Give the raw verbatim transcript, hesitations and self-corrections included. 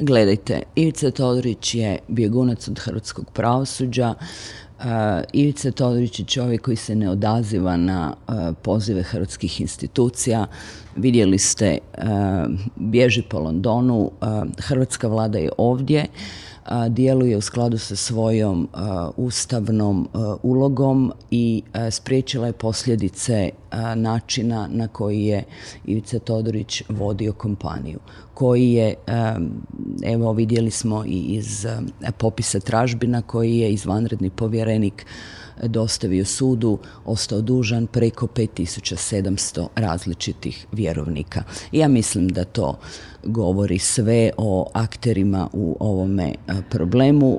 Gledajte, Ivica Todorić je bjegunac od hrvatskog pravosuđa. Uh, Ivica Todorić je čovjek koji se ne odaziva na uh, pozive hrvatskih institucija. Vidjeli ste, uh, bježi po Londonu, uh, hrvatska vlada je ovdje, uh, djeluje u skladu sa svojom uh, ustavnom uh, ulogom i uh, spriječila je posljedice uh, načina na koji je Ivica Todorić vodio kompaniju, koji je, evo vidjeli smo i iz popisa tražbina, koji je izvanredni povjerenik dostavio sudu, ostao dužan preko pet tisuća sedamsto različitih vjerovnika. Ja mislim da to govori sve o akterima u ovome problemu.